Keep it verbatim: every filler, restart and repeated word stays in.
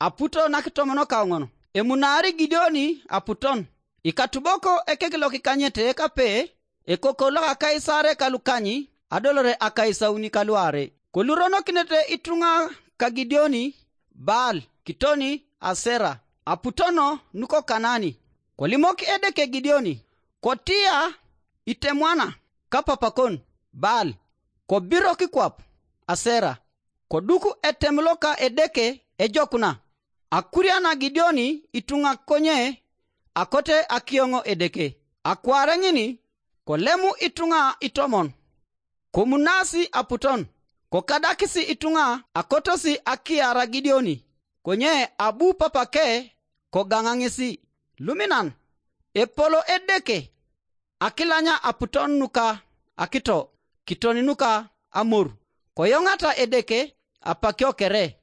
aputo nakitomonokauŋon. Emunaari Gideoni aputon. Ikatubok ekek lokikanyete kape, ekoko loka Kaisare kalukany adolore akaisauni kaluarei. Koluronokinete ituŋa ka Gideoni Baal kitoni Asera, aputon nuko Kanani. Kolimok Edeke Gideoni, kotia itemwana kapapakon Baal, kobiro kikwap Asera, koduk etem loka Edeke ejokuna. Akuriana Gideoni ituŋa konye akote akioŋ Edeke. Akwaare ŋin kolemu ituŋa itomon, komunasi aputon, kokadakisi ituŋa akotosi akiara Gideoni, konye abu papake kogaŋa ŋesi. Luminan, epolo Edeke akilanya aputon nuka akito, kiton nuka amor, koyoŋata Edeke apakio kere.